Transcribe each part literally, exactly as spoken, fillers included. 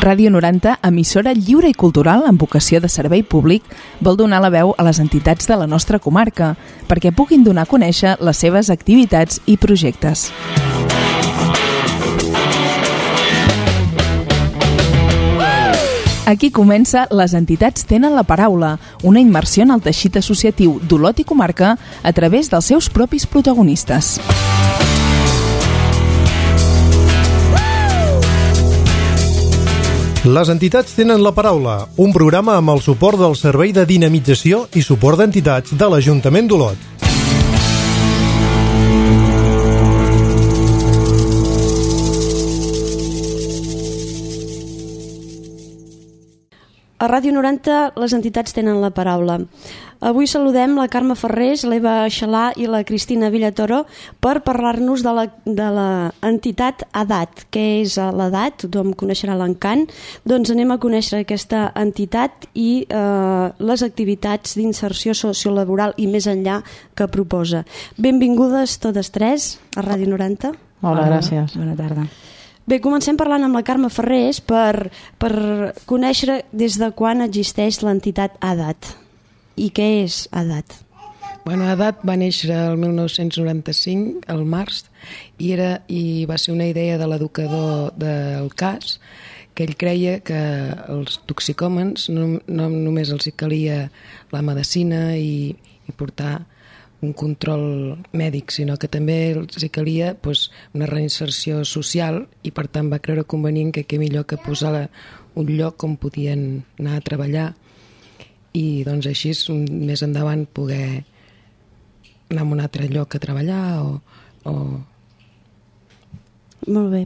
Ràdio noranta, emissora lliure i cultural amb vocació de servei públic, vol donar la veu a les entitats de la nostra comarca perquè puguin donar a conèixer les seves activitats i projectes. Aquí comença Les entitats tenen la paraula, una immersió en el teixit associatiu d'Olot i comarca a través dels seus propis protagonistes. Les entitats tenen la paraula, un programa amb el suport del Servei de Dinamització i Suport d'Entitats de l'Ajuntament d'Olot. A Ràdio noranta, les entitats tenen la paraula. Avui saludem la Carme Ferrés, l'Eva Xalà i la Cristina Villatoro per parlar-nos de la, de l'entitat ADAT. Què és l'ADAT? Tothom coneixerà l'encant. Doncs anem a conèixer aquesta entitat i eh, les activitats d'inserció sociolaboral i més enllà que proposa. Benvingudes totes tres a Ràdio noranta. Hola, gràcies. Bona tarda. Bé, comencem parlant amb la Carme Ferrés per, per conèixer des de quan existeix l'entitat ADAT. I què és ADAT? Bueno, ADAT va néixer el mil nou-cents noranta-cinc, al març, i, era, i va ser una idea de l'educador del C A S, que ell creia que els toxicòmens no, no només els hi calia la medicina i, i portar un control mèdic, sinó que també els hi calia pues, una reinserció social i per tant va creure convenient que què millor que posar un lloc on podien anar a treballar i doncs així més endavant poder anar a un altre lloc a treballar o... o... Molt bé.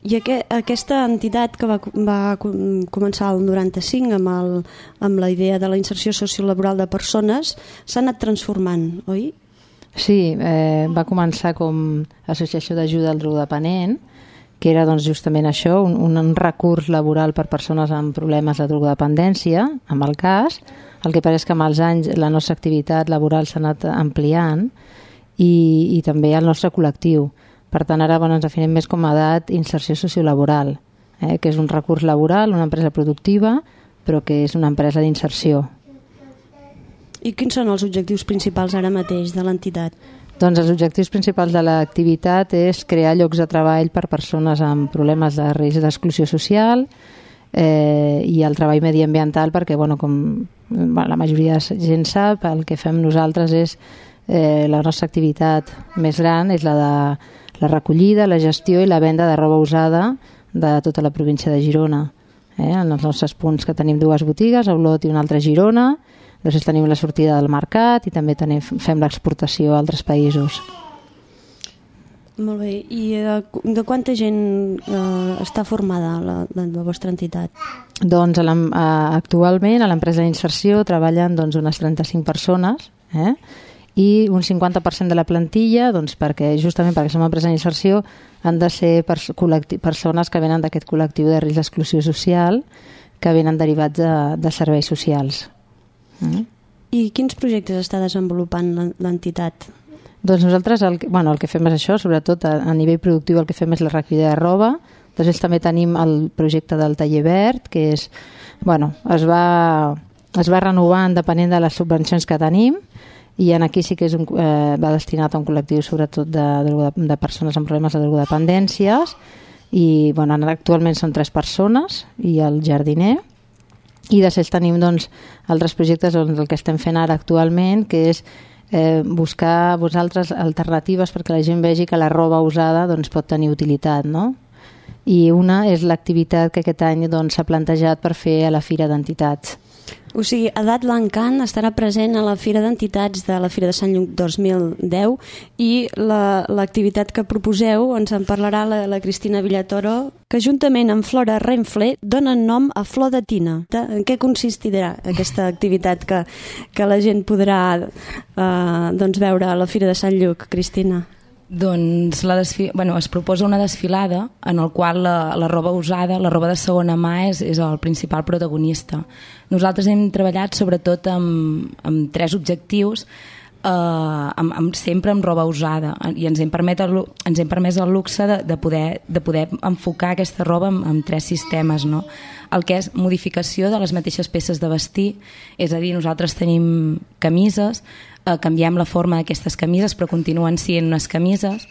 I aqu- aquesta entitat que va, va començar el noranta-cinc amb, el, amb la idea de la inserció sociolaboral de persones s'ha anat transformant, oi? Sí, eh, va començar com associació d'ajuda al drogodependent, que era doncs, justament això, un, un recurs laboral per persones amb problemes de drogodependència, amb el C A S. El que passa és que amb els anys la nostra activitat laboral s'ha anat ampliant i, i també el nostre col·lectiu. Per tant, ara bueno, ens definim més com a ADAT inserció sociolaboral, eh, que és un recurs laboral, una empresa productiva, però que és una empresa d'inserció. I quins són els objectius principals ara mateix de l'entitat? Doncs els objectius principals de l'activitat és crear llocs de treball per persones amb problemes de risc d'exclusió social eh, i el treball mediambiental perquè, bueno, com bueno, la majoria de gent sap, el que fem nosaltres és eh, la nostra activitat més gran és la de la recollida, la gestió i la venda de roba usada de tota la província de Girona. Eh, en els nostres punts que tenim dues botigues, a Olot i una altra a Girona. Després tenim la sortida del mercat i també tenim, fem l'exportació a altres països. Molt bé. I de, de quanta gent eh, està formada la, la, la vostra entitat? Doncs a a, actualment a l'empresa d'inserció treballen doncs, unes trenta-cinc persones eh? i un cinquanta per cent de la plantilla, doncs, perquè justament perquè som una empresa d'inserció han de ser pers- persones que venen d'aquest col·lectiu de risc d'exclusió social que venen derivats de, de serveis socials. Mm. I quins projectes està desenvolupant l'entitat? Doncs nosaltres el, bueno, el que fem és això, sobretot a, a nivell productiu el que fem és la recollida de roba. Després també tenim el projecte del taller verd, que és, bueno, es va, es va renovant depenent de les subvencions que tenim i en aquí sí que és un, eh, va destinat a un col·lectiu sobretot de, de, de persones amb problemes de drogodependències i bueno, actualment són tres persones i el jardiner. I després tenim doncs, altres projectes, doncs, el que estem fent ara actualment, que és eh, buscar vosaltres alternatives perquè la gent vegi que la roba usada doncs, pot tenir utilitat, no? I una és l'activitat que aquest any doncs, s'ha plantejat per fer a la Fira d'Entitats. O sigui, ADAT l'Encant estarà present a la Fira d'Entitats de la Fira de Sant Lluc dos mil deu i la, l'activitat que proposeu ens en parlarà la, la Cristina Villatoro, que juntament amb Flora Renfle donen nom a Flor de Tina. En què consistirà aquesta activitat que, que la gent podrà eh, doncs veure a la Fira de Sant Lluc, Cristina? Doncs la desfi... bueno, es proposa una desfilada en el qual la, la roba usada, la roba de segona mà és, és el principal protagonista. Nosaltres hem treballat sobretot amb, amb tres objectius. Uh, amb, amb, sempre amb roba usada, i ens hem, permet el, ens hem permès el luxe de, de, poder, de poder enfocar aquesta roba amb, amb tres sistemes, no? El que és modificació de les mateixes peces de vestir, és a dir, nosaltres tenim camises, uh, canviem la forma d'aquestes camises però continuen sent unes camises.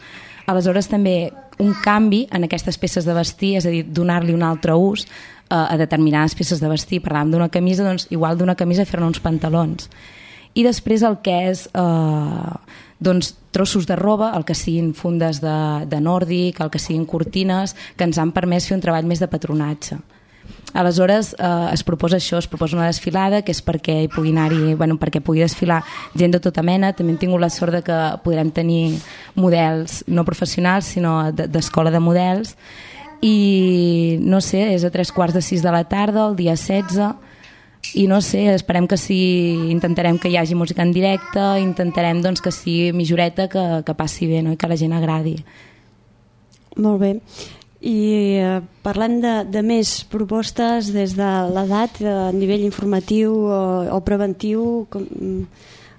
Aleshores també un canvi en aquestes peces de vestir, és a dir, donar-li un altre ús uh, a determinades peces de vestir. Parlàvem d'una camisa, doncs igual d'una camisa fer-ne uns pantalons. I després el que és eh, doncs, trossos de roba, el que siguin fundes de, de nòrdic, el que siguin cortines, que ens han permès fer un treball més de patronatge. Aleshores eh, es proposa això, es proposa una desfilada que és perquè hi pugui anar-hi, bueno, perquè pugui desfilar gent de tota mena. També hem tingut la sort de que podrem tenir models no professionals sinó d'escola de models, i no sé, és a tres quarts de sis de la tarda el dia setze, i no sé, esperem que sí, intentarem que hi hagi música en directe, intentarem doncs, que sigui milloreta, que, que passi bé, no? I que la gent agradi. Molt bé. I eh, parlem de, de més propostes des de l'edat, a nivell informatiu o, o preventiu, com,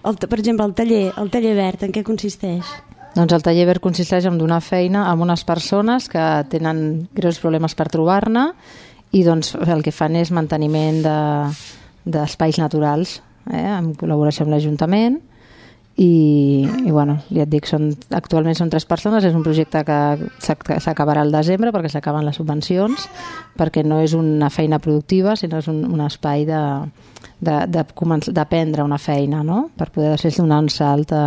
el, per exemple el taller, el taller verd, en què consisteix? Doncs el taller verd consisteix en donar feina a unes persones que tenen greus problemes per trobar-ne, i doncs el que fan és manteniment de, d'espais naturals, eh, en col·laboració amb l'Ajuntament, i, i bueno, ja et dic, són, actualment són tres persones, és un projecte que s'acabarà al desembre perquè s'acaben les subvencions, perquè no és una feina productiva, sinó és un, un espai de, de, de, d'aprendre una feina, no? Per poder després donar un salt a,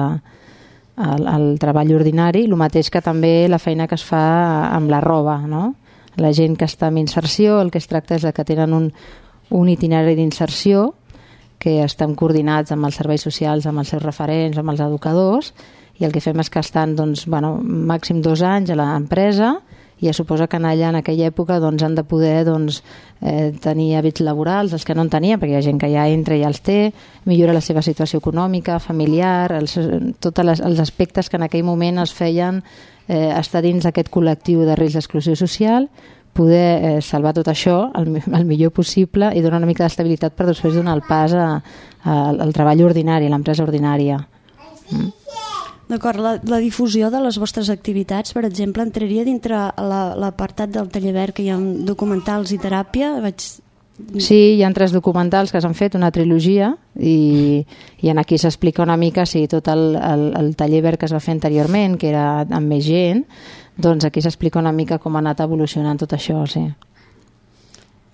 al, al treball ordinari, el mateix que també la feina que es fa amb la roba, no? La gent que està en inserció, el que es tracta és que tenen un, un itinerari d'inserció que estan coordinats amb els serveis socials, amb els seus referents, amb els educadors, i el que fem és que estan doncs, bueno, màxim dos anys a l'empresa, i ja suposa que allà en aquella època doncs, han de poder doncs, eh, tenir hàbits laborals, els que no en tenien, perquè hi ha gent que ja entra i ja els té, millora la seva situació econòmica, familiar, els, tots les, els aspectes que en aquell moment es feien eh, estar dins d'aquest col·lectiu de risc d'exclusió social, poder eh, salvar tot això el, el millor possible i donar una mica d'estabilitat per després donar el pas a, a, al treball ordinari, a l'empresa ordinària. Mm. D'acord, la, la difusió de les vostres activitats, per exemple, entraria dintre l'apartat del taller verd, que hi ha documentals i teràpia? Vaig... Sí, hi ha tres documentals que s'han fet, una trilogia, i, i en aquí s'explica una mica sí, tot el, el, el taller verd que es va fer anteriorment, que era amb més gent, doncs aquí s'explica una mica com ha anat evolucionant tot això, sí.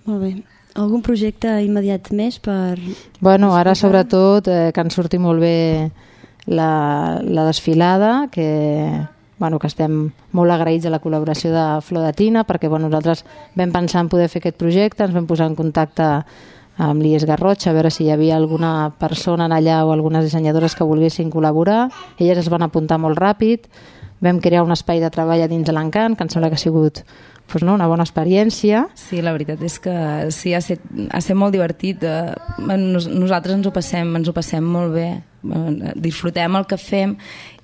Molt bé. Algun projecte immediat més per... Bueno, ara sobretot eh, que ens surti molt bé la, la desfilada, que, bueno, que estem molt agraïts a la col·laboració de Flor de Tina, perquè bueno, nosaltres vam pensar en poder fer aquest projecte, ens vam posar en contacte amb l'I E S Garrotxa a veure si hi havia alguna persona allà o algunes dissenyadores que volguessin col·laborar. Elles es van apuntar molt ràpid, vam crear un espai de treball a dins de l'Encant, que em sembla que ha sigut pues, no, una bona experiència. Sí, la veritat és que sí, ha estat, ha estat molt divertit. Nos, nosaltres ens ho passem, ens ho passem molt bé. Disfrutem el que fem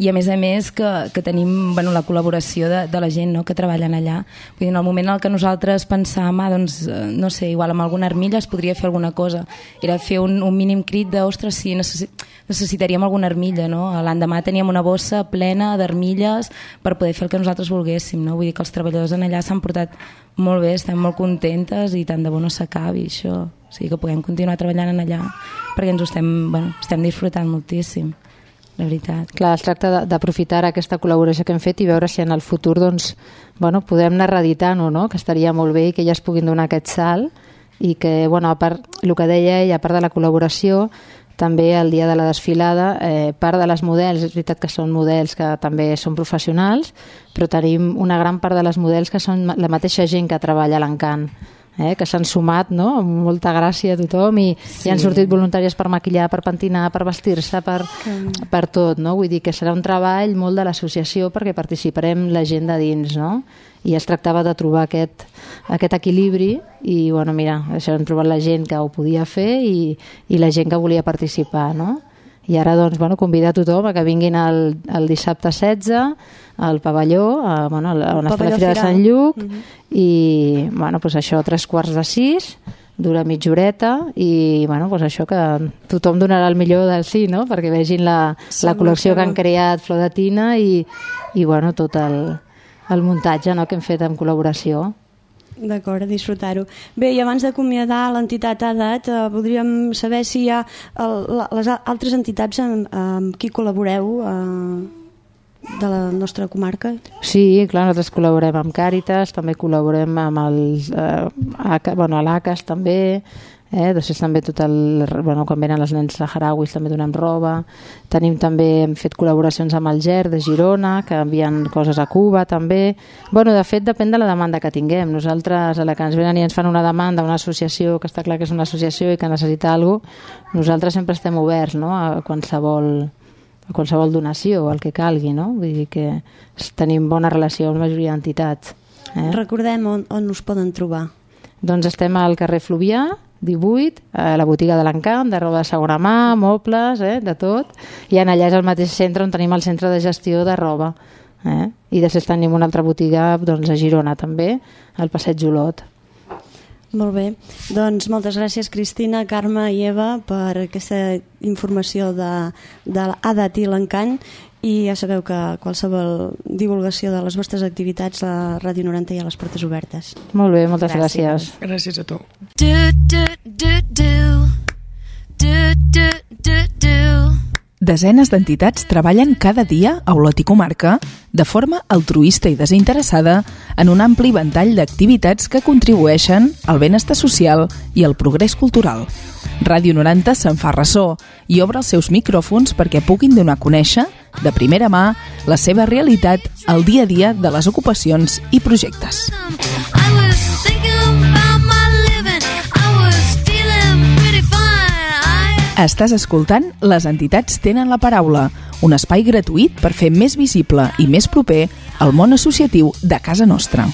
i a més a més que, que tenim bueno, la col·laboració de, de la gent no, que treballen allà. Vull dir, en el moment en què nosaltres pensàvem ah, doncs, no sé, igual amb alguna armilla es podria fer alguna cosa, era fer un, un mínim crit de ostres, sí, necessi necessitaríem alguna armilla, no? L'endemà teníem una bossa plena d'armilles per poder fer el que nosaltres volguéssim, no? Vull dir que els treballadors en allà s'han portat molt bé, estem molt contentes i tant de bo no s'acabi això. O sigui que puguem continuar treballant en allà perquè ens ho estem, bueno, estem disfrutant moltíssim, la veritat. Clar, es tracta d'aprofitar aquesta col·laboració que hem fet i veure si en el futur doncs, bueno, podem anar reeditant-ho, no? Que estaria molt bé i que elles puguin donar aquest salt i que, bueno, a part, el que deia ella, a part de la col·laboració, també el dia de la desfilada, eh, part de les models, és veritat que són models que també són professionals, però tenim una gran part de les models que són la mateixa gent que treballa a l'Encant, eh, que s'han sumat, no?, amb molta gràcia a tothom i, sí. I han sortit voluntàries per maquillar, per pentinar, per vestir-se, per, mm. per tot, no? Vull dir que serà un treball molt de l'associació perquè participarem la gent de dins, no? I es tractava de trobar aquest, aquest equilibri i, bueno, mira, això hem trobat la gent que ho podia fer i, i la gent que volia participar, no? I ara, doncs, bueno, convidar a tothom a que vinguin el, el dissabte setze al pavelló, a, bueno, on està la Fira de Sant Lluc, mm-hmm. i, bueno, pues això, tres quarts de sis, dura mitja horeta i bueno, doncs això, que tothom donarà el millor del sí, no? Perquè vegin la, la col·lecció que han creat Flor de Tina i, i bueno, tot el, el muntatge, no?, que hem fet en col·laboració. D'acord, a disfrutar-ho. Bé, i abans d'acomiadar l'entitat ADAT, eh, voldríem saber si hi ha el, les altres entitats amb, amb qui col·laboreu eh, de la nostra comarca. Sí, clar, nosaltres col·laborem amb Càritas, també col·laborem amb el, eh, bueno, l'A C A S també, eh? Després també tot el, bueno, quan venen els nens saharauis també donem roba. Tenim també, hem fet col·laboracions amb el G E R de Girona, que envien coses a Cuba també. Bueno, de fet depèn de la demanda que tinguem. Nosaltres, a la que ens venen i ens fan una demanda, una associació, que està clar que és una associació i que necessita alguna cosa, nosaltres sempre estem oberts, no?, a qualsevol a qualsevol donació, el que calgui, no? Vull dir que tenim bona relació amb la majoria d'entitats. Eh? Recordem on, on us poden trobar. Doncs estem al carrer Fluvià, divuit, a la botiga de l'Encamp, de roba de segona mà, mobles, eh, de tot, i en allà és el mateix centre on tenim el centre de gestió de roba. Eh? I després tenim una altra botiga doncs, a Girona també, al Passeig Olot. Molt bé, doncs moltes gràcies Cristina, Carme i Eva per aquesta informació de, de l'ADAT i l'Encant, i ja sabeu que qualsevol divulgació de les vostres activitats a Ràdio noranta hi ha les portes obertes. Molt bé, moltes gràcies. Gràcies, gràcies a tu. Do, do, do, do. Do, do, do, do. Desenes d'entitats treballen cada dia a Olot i comarca de forma altruista i desinteressada en un ampli ventall d'activitats que contribueixen al benestar social i al progrés cultural. Ràdio noranta se'n fa ressò i obre els seus micròfons perquè puguin donar a conèixer, de primera mà, la seva realitat al dia a dia de les ocupacions i projectes. I was thinking about my living. I was feeling pretty fine. I... Estàs escoltant Les entitats tenen la paraula, un espai gratuït per fer més visible i més proper el món associatiu de casa nostra.